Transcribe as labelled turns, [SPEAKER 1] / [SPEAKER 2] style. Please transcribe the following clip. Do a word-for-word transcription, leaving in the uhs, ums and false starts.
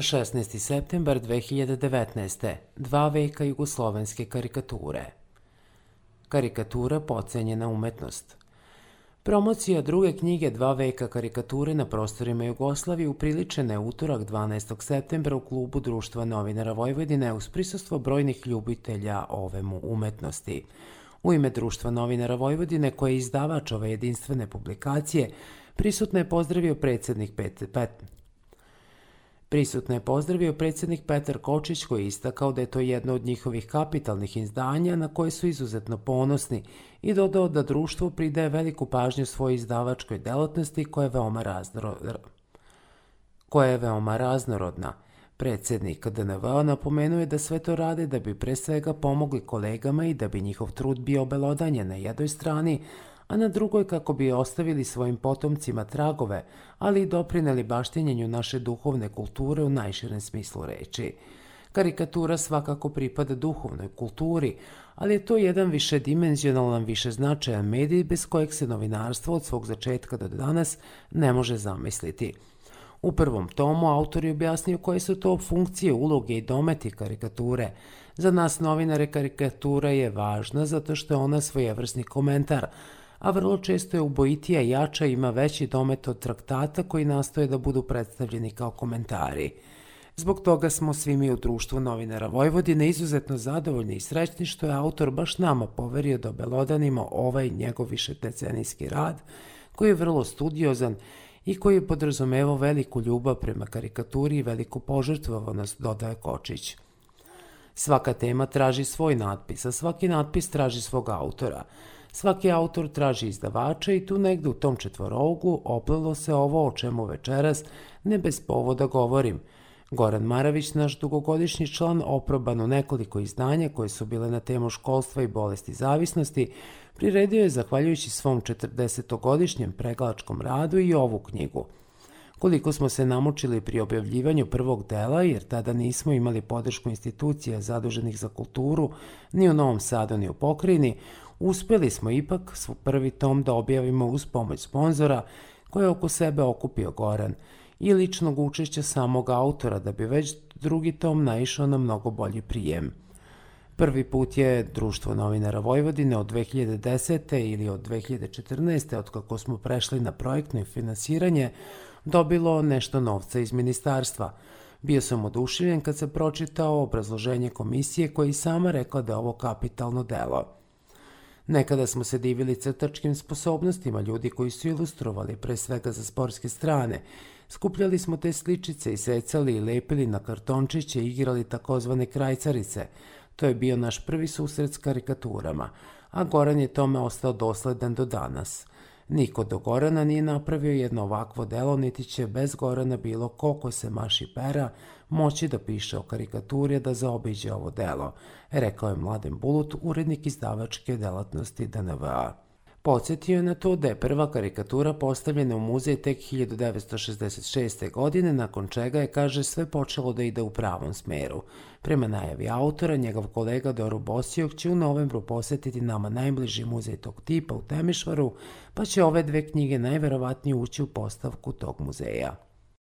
[SPEAKER 1] šesnaesti septembar dve hiljade devetnaeste. Dva veka jugoslovenske karikature. Karikatura potcenjena umetnost. Promocija druge knjige Dva veka karikature na prostorima Jugoslavije upriličena je utorak dvanaestog septembra u klubu Društva novinara Vojvodine uz prisustvo brojnih ljubitelja ove mu umetnosti. U ime Društva novinara Vojvodine, koje je izdavač ove jedinstvene publikacije, prisutno je pozdravio predsjednik Pet... Pet... Prisutno je pozdravio predsjednik Petar Kočić, koji je istakao da je to jedno od njihovih kapitalnih izdanja na koje su izuzetno ponosni i dodao da društvo pridaje veliku pažnju svojoj izdavačkoj delatnosti koja je veoma, raznoro... koja je veoma raznorodna. Predsjednik D N V napomenuo je da sve to rade da bi pre svega pomogli kolegama i da bi njihov trud bio obelodanjen na jednoj strani, a na drugoj kako bi ostavili svojim potomcima tragove, ali i doprineli baštinjenju naše duhovne kulture u najširem smislu reči. Karikatura svakako pripada duhovnoj kulturi, ali je to jedan višedimenzionalan, višeznačajan medij bez kojeg se novinarstvo od svog začetka do danas ne može zamisliti. U prvom tomu autor je objasnio koje su to funkcije, uloge i dometi karikature. Za nas novinare karikatura je važna zato što je ona svojevrsni komentar, a vrlo često je ubojitija i jača, ima veći domet od traktata koji nastoje da budu predstavljeni kao komentari. Zbog toga smo svi mi u Društvu novinara Vojvodine izuzetno zadovoljni i srećni što je autor baš nama poverio da obelodanimo ovaj njegov višedecenijski rad, koji je vrlo studiozan i koji je podrazumevao veliku ljubav prema karikaturi i veliku požrtvovanost, dodaje Kočić. Svaka tema traži svoj natpis, a svaki natpis traži svog autora. Svaki autor traži izdavača i tu negde u tom četvorougu oplelo se ovo o čemu večeras ne bez povoda govorim. Goran Maravić, naš dugogodišnji član, oproban u nekoliko izdanja koje su bile na temu školstva i bolesti zavisnosti, priredio je zahvaljujući svom četrdesetogodišnjem pregalačkom radu i ovu knjigu. Koliko smo se namučili pri objavljivanju prvog dela, jer tada nismo imali podršku institucija zaduženih za kulturu ni u Novom Sadu ni u Pokrajini, uspeli smo ipak svoj prvi tom da objavimo uz pomoć sponzora koje je oko sebe okupio Goran i ličnog učešća samog autora da bi već drugi tom naišao na mnogo bolji prijem. Prvi put je Društvo novinara Vojvodine od dve hiljade desete. ili od dve hiljade četrnaeste. od kako smo prešli na projektno finansiranje, dobilo nešto novca iz ministarstva. Bio sam oduševljen kad sam pročitao obrazloženje komisije koja i sama rekla da je ovo kapitalno delo. Nekada smo se divili crtačkim sposobnostima ljudi koji su ilustrovali, pre svega za sportske strane. Skupljali smo te sličice i secali i lepili na kartončiće i igrali takozvane krajcarice. To je bio naš prvi susret s karikaturama, a Goran je tome ostao dosledan do danas. Niko do Gorana nije napravio jedno ovakvo delo, niti će bez Gorana bilo ko ko se maši pera moći da piše o karikaturi da zaobiđe ovo delo, rekao je Mladen Bulut, urednik izdavačke delatnosti D N V A. Podsjetio je na to da je prva karikatura postavljena u muzej tek hiljadu devetsto šezdeset šeste. godine, nakon čega je, kaže, sve počelo da ide u pravom smeru. Prema najavi autora, njegov kolega Doro Bosijok će u novembru posjetiti nama najbliži muzej tog tipa u Temišvaru, pa će ove dve knjige najverovatnije ući u postavku tog muzeja.